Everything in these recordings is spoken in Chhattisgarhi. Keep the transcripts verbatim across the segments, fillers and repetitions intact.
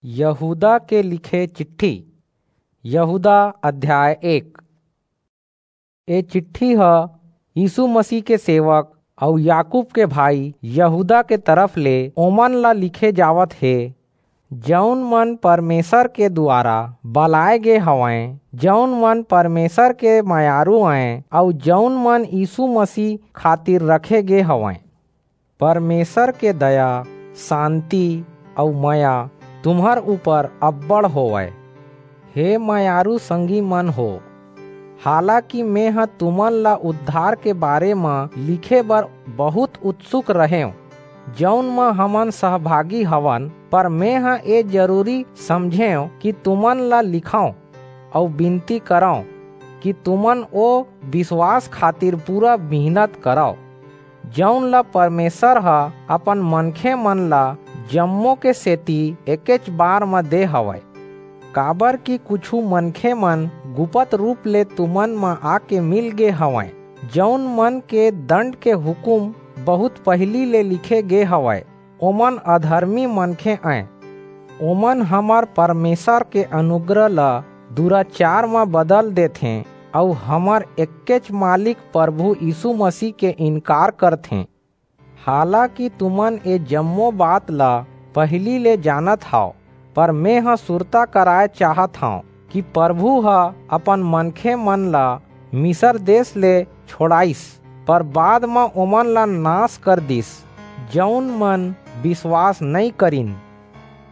यहूदा के लिखे चिट्ठी। यहूदा अध्याय एक। ए चिट्ठी ह यीशु मसीह के सेवक अऊ याकूब के भाई यहूदा के तरफ ले ओमन ला लिखे जावत हे, जऊन मन परमेसर के दुवारा बलाय गे हवंय, जऊन मन परमेसर के मयारू अंय, अऊ जऊन मन यीशु मसीह खातिर रखे गे हवंय। परमेसर के दया, सांति अऊ मया तुम्हर ऊपर अब्बड़ होवय। हे मयारू संगी मन हो, हालाकि मेंह तुमन ला उद्धार के बारे म लिखे बर बहुंत उत्सुक रहेंव, जऊन म हमन सहभागी हवन, पर मेंह ए जरूरी समझेंव कि तुमन ला लिखंव अऊ बिनती करंव कि तुमन ओ बिसवास खातिर पूरा मिहनत करव, जऊन ला परमेसर ह अपन मनखेमन ला जम्मो के सेति एकेच बार म दे हवय। काबरकि कुछू मनखेमन गुपत रूप ले तुमन म आके मिल गे हवंय, जऊन मन के दंड के हुकूम बहुंत पहिली ले लिखे गे हवय, ओमन अधरमी मनखे अंय। ओमन हमर परमेसर के अनुग्रह ल दुराचार म बदल देथें अऊ हमर एक्केच मालिक परभू यीसू मसीह के इनकार करथें। हालाकि तुमन ए जम्मो बात ल पहिली ले जानत हव, पर मेंह सुरता कराय चाहत हंव कि परभू ह अपन मनखेमन ल मिसर देस ले छोंड़ाईस, पर बाद म ओमन ला नास कर दीस, जऊन मन बिसवास नइं करिन।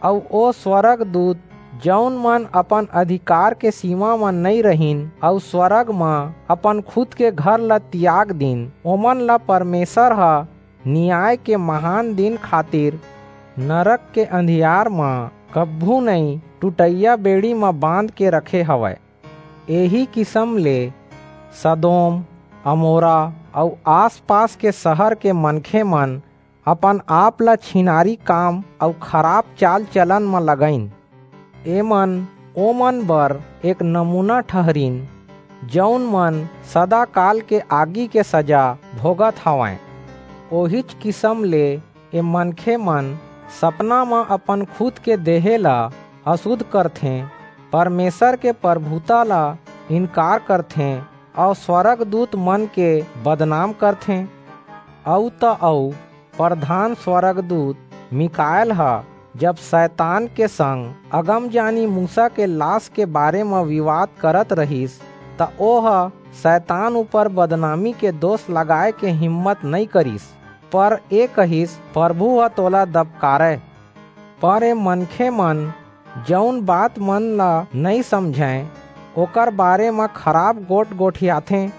अऊ ओ स्वरगदूत, जऊन मन अपन अधिकार के सीमा म नइं रहिन अऊ स्वरग म अपन खुद के घर ला तियाग दीन, ओमन ला परमेसर ह नियाय के महान दिन खातिर नरक के अंधियार म कभू नइं टूटइया बेड़ी म बांध के रखे हवय। एही किसम ले सदोम, अमोरा अऊ आस-पास के सहर के मनखेमन अपन-आप ला छिनारी काम अऊ खराप चाल-चलन म लगाईन। एमन ओमन बर एक नमूना ठहरिन, जऊन मन सदाकाल के आगी के सजा भोगत हवंय। ओहीच किसम ले ए मनखेमन सपना म अपन खुद के देहे ला असुध करथें, परमेसर के परभूता ला इनकार करथें अऊ स्वरगदूतमन के बदनाम करथें। अऊ त अऊ परधान स्वरगदूत मीकाएल ह जब सैतान के संग अगमजानी मूसा के लास के बारे म बिवाद करत रिहिस, त ओह सैतान ऊपर बदनामी के दोस लगाय के हिम्मत नइं करिस, पर ए कहिस, "परभू ह तोला दबकारय।" पर ए मनखेमन जऊन बातमन ला नइं समझंय, ओकर बारे म खराप गोठ गोठियाथें,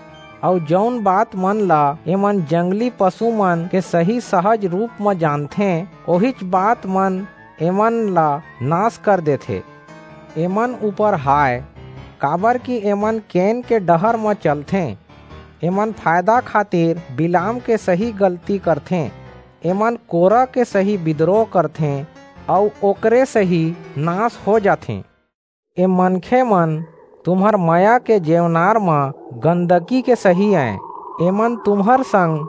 अऊ जऊन बातमन ला एमन जंगली पसुमन के सही सहज रूप म जानथें, ओहीच बातमन एमन ला नास कर देथे। एमन ऊपर हाय, काबरकि एमन केन के डहर म चलथें। एमन फायदा खातिर बिलाम के सही गलती करथें। एमन कोरा के सही बिदरोह करथें अऊ ओकरे सही नास हो जाथें। ए मनखेमन तुम्हर मया के जेवनार म गंदगी के सही अंय। एमन तुम्हर संग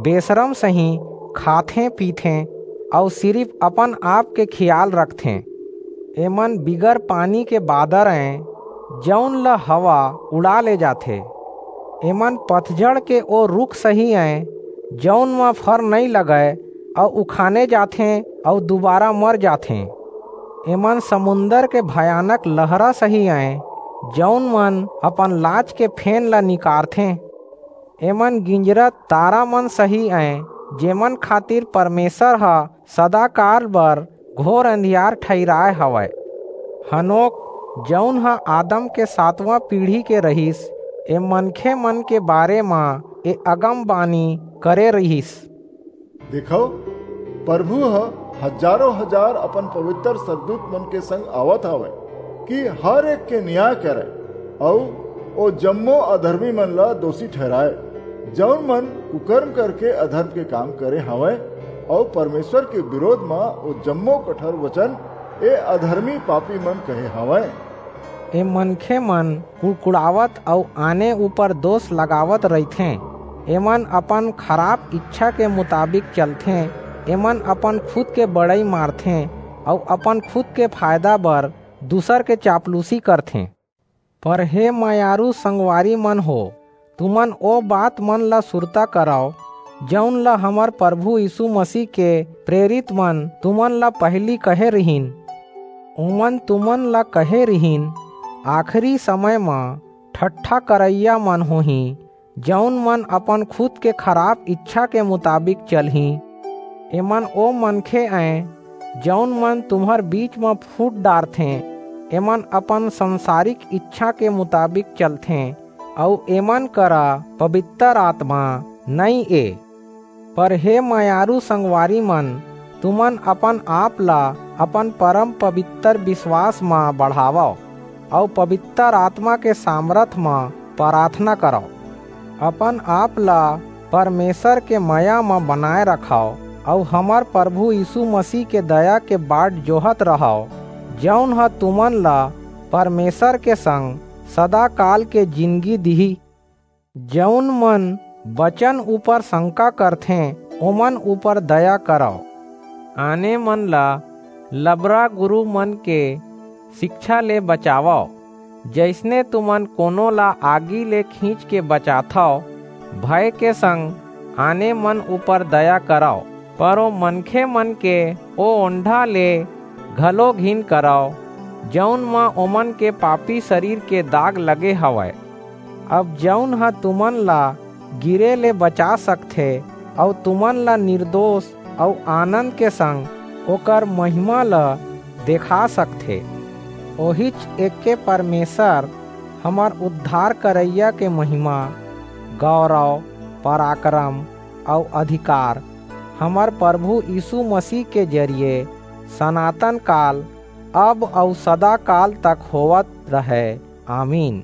बेसरम सही खाथें-पीथें अऊ सिरिप अपन-आप के खियाल रखथें। एमन बिगर पानी के बादर अंय, जऊन ल हवा उड़ा ले जाथे। एमन पतझड़ के ओ रूख सही अंय, जऊन म फर नइं लगय अऊ उखाने जाथें अऊ दुबारा मर जाथें। एमन समुंदर के भयानक लहरा सही अंय, जऊन मन अपन लाज के फेन ला निकारथें। एमन गिंजरत तारामन सही अंय, जेमन खातिर परमेसर ह सदाकाल बर घोर अंधियार ठहिराय हवय। हनोक, जऊन ह आदम के सातवां पीढ़ी के रिहिस, ए मनखेमन के बारे म ए अगमबानी करे रिहिस। देखव, परभू ह हजारों हजार अपन पबितर स्वरगदूतमन के संग आवत हवय कि हर एक के नियाय करय अऊ ओ जम्मो अधरमीमन ला दोसी ठहिराय, जऊन मन कुकरम करके अधरम के काम करे हवंय अऊ परमेसर के बिरोध म ओ जम्मो कठोर बचन ए अधरमी पापीमन कहे हवंय। ए मनखेमन कुड़कुड़ावत अऊ आने ऊपर दोस लगावत रहिथें। एमन अपन खराप ईछा के मुताबिक चलथें। एमन अपन खुद के बड़ई मारथें। अऊ अपन खुद के फायदा बर दूसर के चापलूसी करथें। पर हे मयारू संगवारी मन हो, तुमन ओ बात मन ला सुरता करव, जऊन ला हमर प्रभु यीशु मसीह के प्रेरित मन तुमन ला पहिली कहे रिहिन। ओमन तुमन ला कहे रिहिन, आखिरी समय म ठट्ठा करइया मन होहीं, जऊन मन अपन खुद के खराब इच्छा के मुताबिक चलहीं। एमन ओ मनखे अंय, जऊन मन तुम्हर बीच म फूट डारथें। एमन अपन संसारिक इच्छा के मुताबिक चलथें, अऊ एमन करा पबितर आतमा नइं ए। पर हे मयारू संगवारी मन, तुमन अपन आप ला अपन परम पबितर बिसवास म बढ़ावव, अऊ पबितर आतमा के सामरथ म पराथना करव। अपन आप ला परमेसर के मया म बनाय रखव, अऊ हमर परभू यीसू मसीह के दया के बाट जोहत रहव, जऊन ह तुमन ला परमेसर के संग सदाकाल के जिनगी दिही। जऊन मन बचन ऊपर संका करथें, ओमन ऊपर दया करव। आने मन ला लबरा गुरू मन के सिकछा ले बचावव, जइसने तुमन कोनो ला आगी ले खींच के बचाथव, भय के संग आने मन ऊपर दया करव। पर ओ मनखे मन के ओ ओंढा ले घलो घिन करव, जऊन म ओमन के पापी सरीर के दाग लगे हवय। अब जऊन ह तुमन ला गिरे ले बचा सकथे, अऊ तुमन ला निरदोस अऊ आनंद के संग ओकर महिमा ला देखा सकथे, ओहीच एके परमेसर, हमर उद्धार करइया के महिमा, गौरव, पराकरम अऊ अधिकार हमर परभू यीसू मसीह के जरिये सनातन काल, अब अऊ सदाकाल तक होवत रहय। आमीन।